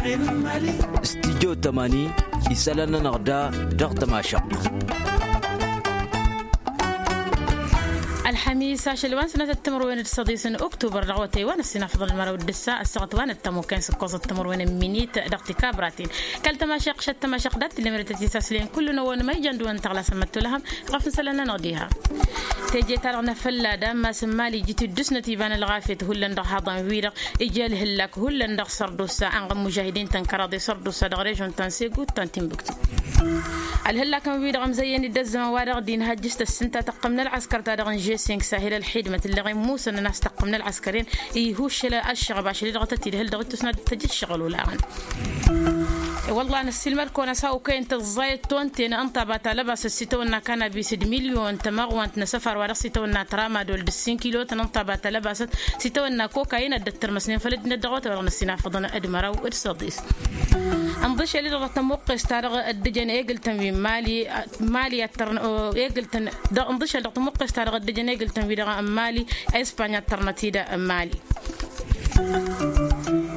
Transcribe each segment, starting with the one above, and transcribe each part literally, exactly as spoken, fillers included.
Studyo tămani isălan-nănăɣ da dăɣ-tămašăɣt. Ălxămis ašăl wa n-sănăt d-timǝrwen d-săḍis n-uktubăr dăɣ-awătay wa n-ăssinafăḍăn măraw d-ǝssa ăssaɣăt wa n-ăttămukăn s-ǝkkoẓăt timǝrwen n-minit dăɣ-tikabraten. Kăl-tămašeɣt šăt tămašăɣt dat-tǝllemăret ătisaslen kullu n-ăwwăn măyjăn d-wăn tăɣlasăn măttulăhăm ɣăf n-isălan-nănăɣ diha. Teje-ta-dăɣ n-afălla d-ammas n-mali iji tiddǝsnăt iba n-ălɣafyăt hullan dăɣ-haḍăn-wi-dăɣ ija ălhǝllak hullan dăɣ-sărdusa anɣăn mužahidin-tăn kăraḍe sărdusa dăɣ-režon ta n-segu ta n-tinbǝktu. Ălhǝllak n-wi-dăɣ ămzăyyăn-dd ăzzăman wa dăɣ-dd-inhăjjǝs tăssǝnta tăqqǝm n-ălɣăskăr ta dăɣ-n žeseng sahil ălxidmăt ǝlleɣ-in musăn n-a-s tăqqǝm n-ălɣăskăr-en. Ihuššăl ăššăɣăb ašăl-i dăɣ-tăt-idhǝl dăɣ-ittus n-ad-tăj ǝššăɣǝl olaɣăn. Wălla năssiilmăd-kăwăn ăsawăkăyăn tǝẓẓayăt tonten ǝnta a ba talăbasăt s-itawănna kanabis d-milyon tămăɣwant n-asăfar wa dăɣ-s itawănna tramadol d-ǝssin kilotăn ǝnta a ba talăbasăt s-itawănna kokayin ad-dd-ăttărmăsnen făll-ăddinăt dăɣ-awătay wa dăɣ-năssinafăḍăn d-măraw d-săḍis. Ǝnḍǝšel-i dăɣ-tămuqqes-ta-dăɣ ăddǝjăn egǝl-tăn wi n-mali mali ad-tărnă egǝl-tăn dăɣ-ǝnḍǝšel dăɣ-tămuqqes-ta-dăɣ ăddǝjăn egǝl-tăn wi-dăɣ n-mali espany ad-tărnăt-dd n-mali.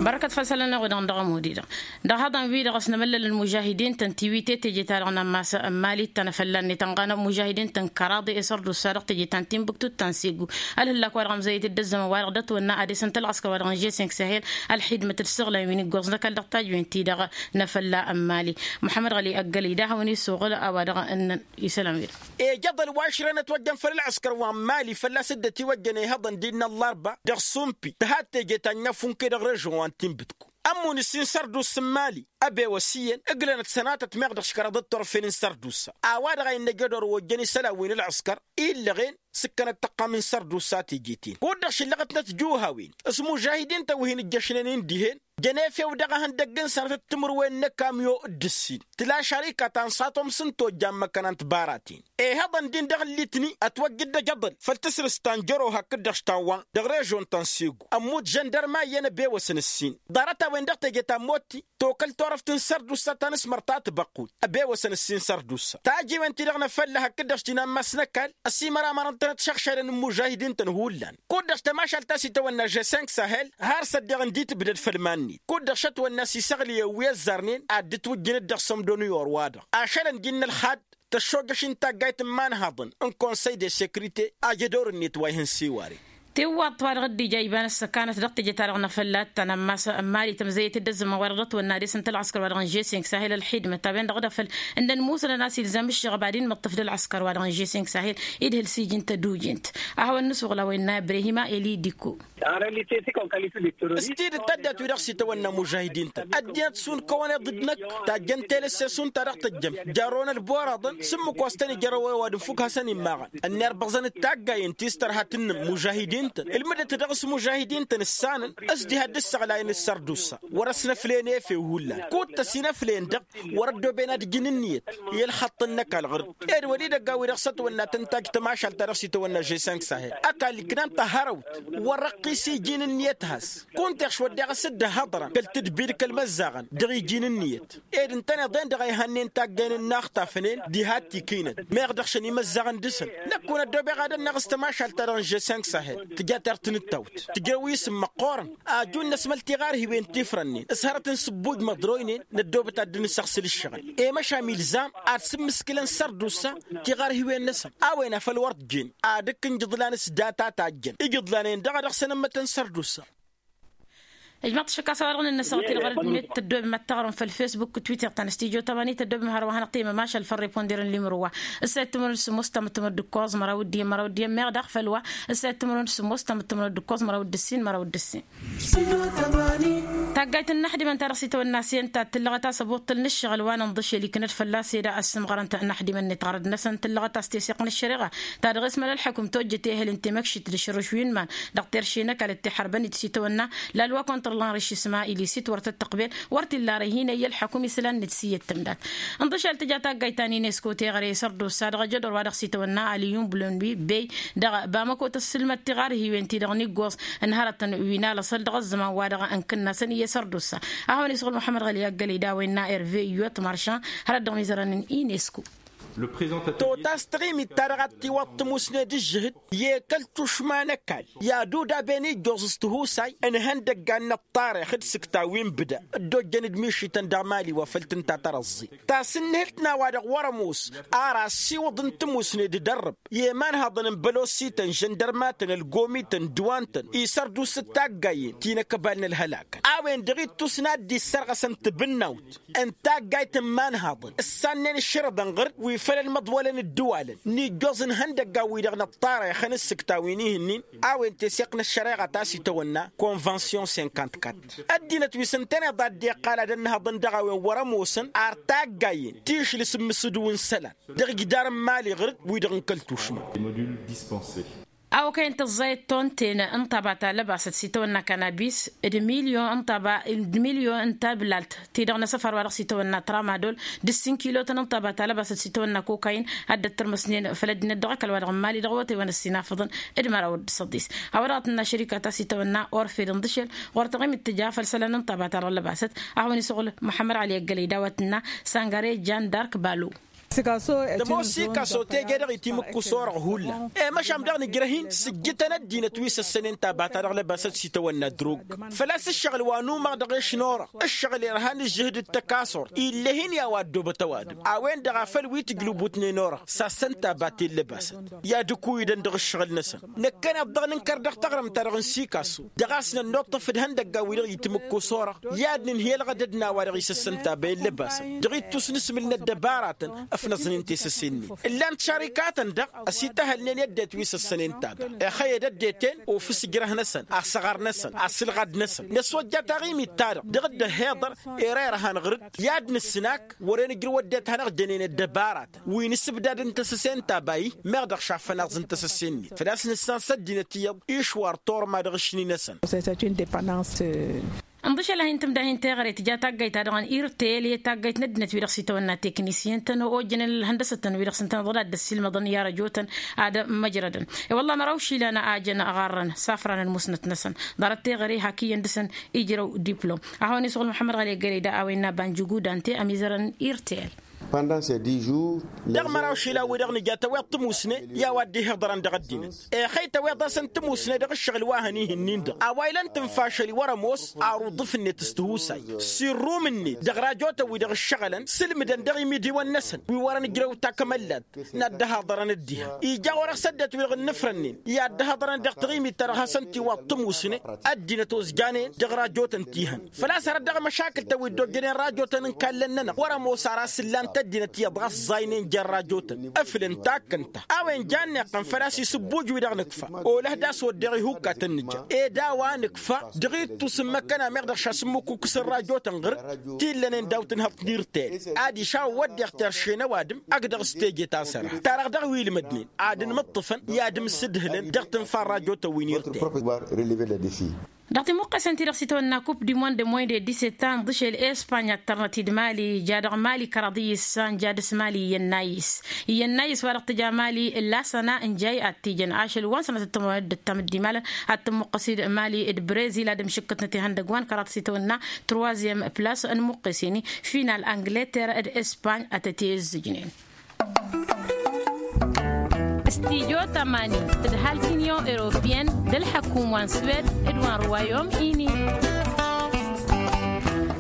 Bărkăt făll-isălan-nănăɣ wi-dăɣ n-dăɣ-ămud-i-dăɣ dăɣ-haḍăn-wi-dăɣ s-nămăllălăn mužahidin-tăn tiwite teje-ta-dăɣ n-ammas n-mali t-tăn-afălla-net ănɣanăɣ mužahidin-tăn kăraḍe i-sărdusa dăɣ-teje ta n-tinbǝktu ta n-segu. Ălhǝllak-wa-dăɣ ămzăyyăt-dd ăzzăman-wa-dăɣ d-ătwănna ad-esăn tălɣăskăr-wa-dăɣ n-žeseng sahel ălxidmăt d-sǝɣlan wi n-iggoẓ n-ăkall dăɣ-tajwen-ti-dăɣ n-afălla n-mali. Muḥămmăd ɣăli ăggălăy d-ad-hawăn-isuɣǝl a-wa dăɣ-ǝnnăn isălan-wi-dăɣ. Ejăḍăl wa šrănăt wăjjăn făll-ălɣăskăr wa n-mali fălla-s dd-ătiwăjjăn ihăḍăn-di n-ăllarba dăɣ-sumpi tǝha d-teje ta n-inăfunke dăɣ-režon wa n-tinbǝtku. Ămmun ǝssin sărdusa n-mali ăbewăs iyyăn ǝglănăt sănatăt meɣ dăɣ-s kăraḍăt turfen n-sărdusa a-wa-dăɣ a innă jădor wa ojjăn isălan wi n-ălɣăskăr illăɣen s-ǝkkănăt tăqqam n-sărdusa teje-ten kud-dăɣ šǝllăɣătnăt juhawen s-mužahidin-tăn wi hin-ǝjjăšnen-in dihen. Jăn efew dăɣ-ehăndăgg n-sănatăt timǝrwen n-ăkamyo d-ǝssin tǝla šarika ta n-satom s-ǝnta ojja n-măkkăna n-tibaraten. Ihăḍăn-din dăɣ-ǝllitni ătwăjjăd d-ajăḍăl făll-tǝsrǝst ta n-jăroha kǝddăš ta n-wa dăɣ-režon ta n-segu ămmut žăndărma iyyăn ăbewăsăn ǝssin ḍarăt-a-wen dăɣ-teje ta n-motti tokăl turăft n-sărdusa ta n-asmăr ta tibăqqut ăbewăsăn ǝssin sărdusa tajiwen-ti-dăɣ n-afălla hakd-dăɣ s-tinammas n-ăkall ăsimăramărăn-tănăt šăɣšadăn n-imužahidin-tăn hullan kud-dăɣ tămašalt ta s-itawănna žeseng sahel har s-ăddiɣ ǝndi tǝbdăd făll-iman-net kud-dăɣ šătwănna s-isăɣlǝyăn wi ăzzarnen ad-dd-ǝtwǝjjǝnăt dăɣ-sămdo n-iyor-wa-dăɣ ašălăn-dd innă ălxad tăššojăš n-taggayt n-imanhaḍăn n-konsăy de sekrite a jădor-net wa ihăn s-iwaren. Tiwwaḍt wa dăɣ-dd-ija iba n-ăssăkanăt dăɣ-teje-ta-dăɣ n-afălla ta n-ammas n-mali tămzăyăt-dd ăzzăman wa dăɣ-dd-ătwănna ad-esăn tălɣăskăr wa dăɣ-n žeseng sahel ălxidmăt a-wen-dăɣ d-afăl ǝndăn musănăn a-s ilzam ǝššăɣăb ad-inmǝṭṭǝf d-ălɣăskăr wa dăɣ-n žeseng sahel idhǝl s-iji n-tădujent. A hawăn-nǝsuɣǝl a-wa innă ibrahim a eli dikko. S-tidǝt tăddat-wi-dăɣ s-itawănna mužahidin-tăn ăddinăt šund kăwăn-iḍǝd-năk tajjăn telăsse šund ta dăɣ-tăjjăm jarrăwăn ălboraḍăn s-ǝmmǝk wa s-tăn-ijărrăw ăwadǝm fukk hasăn-immăɣăn ănnerbaẓăn d-taggayen ti s-tărha tǝnnǝm mužahidin-tăn ǝlmǝdăt dăɣ-s mužahidin-tăn ǝssanăn s-diha dd-ǝssăɣlayăn d-sărdusa wăr-ăsnăflen efew hullan kud-tăsinăflen-dăɣ wăr-ăddooben ad-ǝjǝn ǝnniyăt i-ălxăṭṭ n-ăkall ɣur-dd ed wăr-idăgg a-wi-dăɣ s-ătwănna tăn-tajj tămašalt ta dăɣ-s itawănna žeseng sahel ăkall ǝknan-t ăhărăwt wăr-răqqis iji n-ǝnniyăt has-kud-t iɣš wădden a-s dd-ăhhăḍrăn kăl-tǝdbi d-kăl-imăzzaɣăn dăɣ-iji n-ǝnniyăt ed ǝntăneḍ-en-dăɣ a ihannen taggayen n-inaxtafnen diha t-ikinăt meɣ dăɣ-šăn imăzzaɣăn dăɣ-săn. Năkk wăr-năddobeɣ ad-ănneɣ s-tămašalt ta dăɣ-n žeseng sahel tǝja tertǝnǝttawt tǝjrăw isǝm măqqoorăn ajun n-ăsmăl tiɣarhiwen tifrănnen s-hărăt n-sǝbbuj măḍroynen năddoobăt ad-dd-nǝsăɣsǝl ǝššăɣǝl i-măšan ilzam ad-sǝmmǝskǝlăn sărdusa tiɣarhiwen-năsăn a-wen a făl wăr t-jen ad-ǝkkǝnj iḍlan s-data tajjăn ija iḍlan-en-dăɣ a dăɣ-săn ǝmmătăn sărdusa. Ijmăḍ-t šăkk a-s a-wa dăɣ-nǝnnăsăɣ tilɣăr-net tăddoobem ad-taɣrǝm făll-fesbuk twitter ta n-studyo tămani tăddoobem hărwa hanăɣ-temmăm ašăl făll-reponder n-limǝrǝw wa ǝssayăt timǝrwen d-sǝmmos tamǝttǝmrăd d-ǝkkoẓ măraw d-iyyăn măraw d-iyyăn meɣ daɣ făll-wa ǝssayăt timǝrwen d-sǝmmos tamǝttǝmrăd d-ǝkkoẓ măraw d-ǝssin măraw d-ǝssin. Taggayt n-inaxdimăn ta dăɣ-s itawănna s-iyyăn ta tǝllăɣăt a-s ăbuṭṭǝl n-ǝššăɣǝl wa n-inḍǝšel iknăt fălla-s eda ăssǝmɣărăn tinaxdimăn-net ɣărăd-năsăn tǝllăɣăt a-s teseɣt n-ăššăreɣa ta dăɣ-esmăl ălḥăkum tojjăt ehăl n-temăkšit d-ašărǝš wi n-iman dăɣ-terše n-ăkall d-tiḥărben d-s itawănna lalwa kăwăn-tărlan rišisma ilisǝt wăr tăt-tăqbel wăr t-illa arăy hin-ăyy ălḥăkum isălan-net s-iyyăt tǝmdat. Ǝnḍǝšel tǝja taggayt ta n-inesko teɣăre s-ărdusa dăɣ-ajădor wa dăɣ-s itawănna aliyun bulonwi bey dăɣ-bamăko tăssǝlmăd tiɣarhiwen-ti-dăɣ n-iggoẓ n-hărătăn wi n-alăṣăl dăɣ-ăzzăman-wa-dăɣ n-kǝnnasăn iyyăs ărdusa. A hawăn-isɣǝl muḥămmăd ɣăli aggălăy d-a-wa innă erve iyyot măršan hărăt dăɣ-mizărăn n-inesko. Totas taɣimit-ta-dăɣ a t-tiwaḍ tămusne d-ǝžžǝhǝd i-kăl-tušma n-ăkall i-ad-udaben ijjoẓ s-tihusay n-ihăndăggan n-ăṭṭarix d-isǝkta wi n-bǝda dd-ojjăn d-mišităn dăɣ-mali wa făl tǝnta tărăẓẓi. Tasǝnnǝhǝlt n-a-wa-dăɣ wăr-ămoos ar assiwǝḍ n-tămusne d-idărrǝb i-imanhăḍăn n-bălosităn žăndărmatăn ălgomităn ǝddǝwantăn isărduus d-taggayen ti n-akăbal n-ălhălakăn a-wen-dăɣ ittus n-ad-dd-issărɣăsăn tibǝnnawt n-taggayt n-imanhăḍăn ǝssannen ǝššărăḍăn ɣǝr-dd wi făl ălmăḍwălăn ǝddǝwalăn n-ijjoẓ n-ihăndăggan-wi-dăɣ n-ăṭṭarix n-ǝssǝkta wi n-ihǝnnin a-wen tesseɣt n-ăššăreɣa ta s-itawănna convention cinquante-quatre. Ăddinăt wi s-ǝntăneḍ a dd-iqqal ad-ănnăhăḍăn dăɣ-a-wen wăr-ămoosăn ar taggayen tišlǝs n-imǝsǝdǝw n-isălan dăɣ-ijdar n-imali ɣǝr-dd wi-dăɣ n-kăl-tušma. A okăyăn tǝẓẓayăt tonten n-taba ta lăbasăt s-itawănna kanabis d-milyon n-taba d-milyon n-tablalt ti-dăɣ n-asăfar wa dăɣ-s itawănna tramadol d-ǝssin kilotăn n-taba ta lăbasăt s-itawănna kokayin ad-dd-ăttărmăsnen făll-ăddinăt dăɣ-ăkall wa dăɣ-n mali dăɣ-awătay wa n-ăssinafăḍăn d-măraw d-săḍis. A-wa dăɣ-tǝnna šărika ta s-itawănna orfe d-ǝnḍǝšel ɣur-taɣimit tǝja făll-isălan n-taba ta dăɣ-lăbasăt a hawăn-isăɣǝl muḥămmăd ăli ăggălăy d-a-wa tǝnna sangare jan dark balo. Dămoos sikaso teje dăɣ-itimǝkkus orăɣ hullan i-măšan dăɣ-nǝjrăh-in sǝjjǝtăn ăddinăt wi s-ăssănen taba ta dăɣ-lăbasăt s-itawănna drog făl-a-s ǝššăɣǝl wa n-umăɣ dăɣ-ešn orăɣ ǝššăɣǝl irhan ǝžžǝhǝd d-tăkasort ill'-e-hin i-a-wa ăddoobăt ăwadǝm. A-wen-dăɣ a făl wi tǝjlǝbutnen orăɣ sassăn taba ti n-lăbasăt i-ad-ǝkuyǝdăn dăɣ-ǝššăɣǝl-năsăn. Năkkăneḍ dăɣ-nǝnkăr dăɣ-taɣrǝmt-ta-dăɣ n-sikaso dăɣ-a-s nănnuṭṭăf d-ihăndăggan-wi-dăɣ itǝmǝkkus orăɣ i-ad-nǝnhǝyălăɣ edăd n-a-wa-dăɣ isăssăn taba i-ǝllăbasăn dăɣ-ittus n-asmǝl n-ăddăbaratăn ăfnăẓnen tesăse-net. Ǝllan-t šărikatăn-dăɣ ăsităhălnen i-ăddinăt wi s-ăssănen taba ixăyyăd ăddinăt-en ofǝs ǝjrăh-năsăn asăɣar-năsăn asǝlɣad-năsăn năswăjja taɣimit-ta-dăɣ dăɣ-dd-ăhhiḍăr. Ere irhan ɣǝr-dd i-ad-nǝsnak wăren ǝjrǝw ăddinăt hanăɣ-jănen ăddăbaratăn wi n-asǝbdad n-tesăse n-taba-i meɣ dăɣ-šaffăn aẓ n-tesăse-net făl-a-s nǝssan s-ăddinăt iyyăḍ išwar turma dăɣ-ašni-năsăn. Ănḍǝšăl a hin-tǝmda hin-teɣăre tǝja taggayt-ta-dăɣ n-irtel i-taggayt n-ăddinăt wi-dăɣ s-itawănna teknisyăn-tăn ojjănen ălhăndăsăt-tăn wi-dăɣ s-ǝntăneḍ ad-dd-ăssiilmăḍăn i-arăjotăn ad-măjrădăn. I-wălla măraw išilan a jăn ăɣarrăn safran ălmusnăt-năsăn ḍarăt teɣăre hak iyyăn dăɣ-săn ijrăw diplom. A hawăn-isăɣǝl muḥămmăd ɣali ăggălăy da a-wen n-abba n-jǝgudante ămizărăn irtel. Dăɣ-măraw išilan-wi-dăɣ nǝja tăweḍ tămusne i-a-wa dd-ihiḍărăn dăɣ-ăddinăt ixăy tăweḍ-asăn tămusne dăɣ-ǝššăɣǝl wa hăn-ihǝnnin-dăɣ a-wa ilăn tǝnfa ašăl i-wăr-ămoos. Ar uḍǝf-net s-tihusay s-irrum-net dăɣ-rajotăn-wi-dăɣ ǝššăɣǝlăn sǝlmǝdăn dăɣ-imidiwăn-năsăn wi wărăn ǝjrăw takămăllat n-ad-dd-ăhaḍărăn dd-ihăn ija ɣur-e-s ăddinăt-wi-dăɣ ǝnnǝfrănnen i-ad-dd-ăhaḍărăn dăɣ-taɣimit-ta-dăɣ hasăn-t-iwaḍ tămusne. Ăddinăt ozjanen dăɣ-rajotăn ti-hăn făl-a-s hărăt dăɣ-măšakǝl-tăn wi dd-ojjănen rajotăn n-kallăn-nănăɣ wăr-ămoos ar a-s ǝllan-t ăddinăt iyyăḍ ɣas ẓaynăn jer-rajotăn ǝflǝn takkăn-ta a-wen jan n-iqqăn făl-a-s isǝbbuj wi-dăɣ nǝkfa. Olăh d-a-s wădden ihukkatăn nǝja ed a-wa nǝkfa dăɣ-ittus n-imăkkăn a meɣ dăɣ-šasǝmmǝkukǝs n-rajotăn ɣǝr-dd ti ǝllănen daw-tǝnhăḍt n-irtel. Adiš a-wen wădden terše n-ăwadǝm ăgg-dăɣ s-teje ta s-ărha ta-dăɣ dăɣ-wi ǝlmădnen ad-ǝnmǝṭṭǝfăn i-ad-ǝmsǝdhǝlăn dăɣ-tǝnfa n-rajotăn wi n-irtel. Dăɣ-timuqqesen-ti-dăɣ s-itawănna kup di monde moinde disetan ḍǝšel espany ad-tărnăt-dd mali ja dăɣ-mali kăraḍ iyyǝs sa n-ja dăɣ-s mali iyyăn nayis. Iyyăn nayis wa dăɣ-tǝja mali lasăna n-jay ad-t-ijăn ašăl wa n-sănătăt tămăwănăt d-ǝttam dd-imalăn ad-tǝmmuqqăs-dd mali d-brezil ad-ǝmšǝkkătnăt ihăndăgg wa n-kăraḍ s-itawănna troizyem plas n-imuqqesen-i final angleter d-espany ad-tăt-e-ǝzzǝjnen. Studyo tămani tǝdhal t-inyon europyen d-ălḥăkum wa n-swed d-wa n-ruwayom-ini.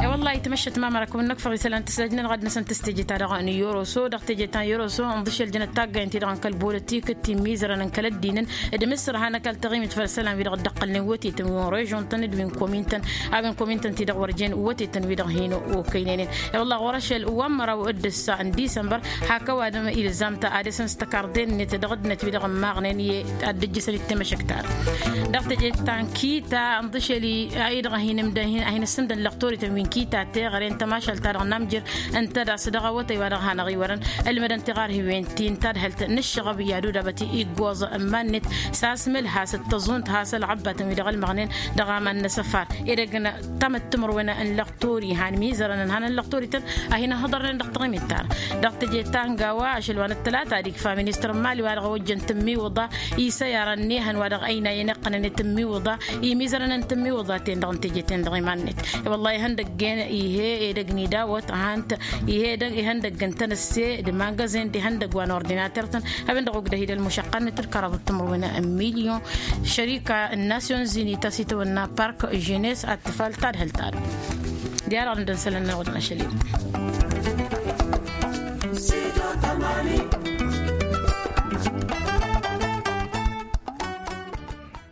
E-wăllah itmăššăt mamăra kăwăn-năkfăɣ isălan tǝsdăjnăn ɣad-năsăn tǝstǝjǝt-ta-dăɣ n-yoroso dăɣ-teje-ta n-yoroso ǝnḍǝšel jănăt taggayen-ti-dăɣ n-kăl-bolătikăt ti n-imizărăn n-kăl-ăddinăn d-imǝssărha n-ăkall taɣimit făll-isălan-wi-dăɣ dd-ăqqălnen wătetăn wi n-režon-tăn d-wi n-komin-tăn. A-wen komin-tăn-ti-dăɣ wăr jen wătetăn-wi-dăɣ hin-okăynăynen. I-wălla ɣur-ašăl wa n-măraw d-ǝssa n-disămbăr hak ăwadǝm ilzam-t ad-dăr-săn s-tăkarḍe-net dăɣ-ăddinăt-wi-dăɣ ǝmmaɣnen i-ad-dd-ǝjjǝsăn d-temăšăkt-ta-dăɣ dăɣ-teje ta n-kita ǝnḍǝšel-i a-i-dăɣ a hin-ǝmdăn a hin-ǝssǝmdăn lăxtorităn wi n-kita teɣăre n-tamašalt-ta-dăɣ n-amjăr ǝnta d-a-s dăɣ-awătay wa dăɣ-hanăɣ-iwărăn ǝlmădăn tiɣarhiwen ti n-tadhălt n-ǝššăɣăb i-ad-udabăt iggoẓ n-iman-net s-asmǝl has-dd-tăẓunt has-ălɣăbbatăn wi dăɣ-ălmăɣnen dăɣ-aman n-asăfar. Edăgg n-tamǝttimărwen n-lăxtori han mizărăn ǝnhanăn lăxtorităn a hin-ǝhhăḍărnen dăɣ-taɣimit-ta-dăɣ dăɣ-teje ta n-gawa ašăl wa n-ăttălata ad-ikfa ministăr n-mali wa dăɣ-a ojjăn tǝmmiwǝḍa isăyarăn n-ehăn wa dăɣ-ăynayăn iqqănăn i-tǝmmiwǝḍa imizărăn n-tǝmmiwǝḍa-ten-dăɣ n-teje-ten-dăɣ iman-net. I-wăllah ihăndăgg-en Ihe edăgg n-idawăt ăhant. Ihe edăgg ihăndăgg n-tăn-ăsse d-imangăzen d-ihăndăgg wa n-ordinater-tăn. Abăndăɣ ugdăh idăl mušăqqăn n-tǝlkăraḍ d-timǝrwen n-milyon. Šărika n-nasyonzini ta s-itawănna park jenes ad-tǝfal tadhǝlt-ad. Diarăɣ n-dănsălăn n-alɣud n-ašăl-i.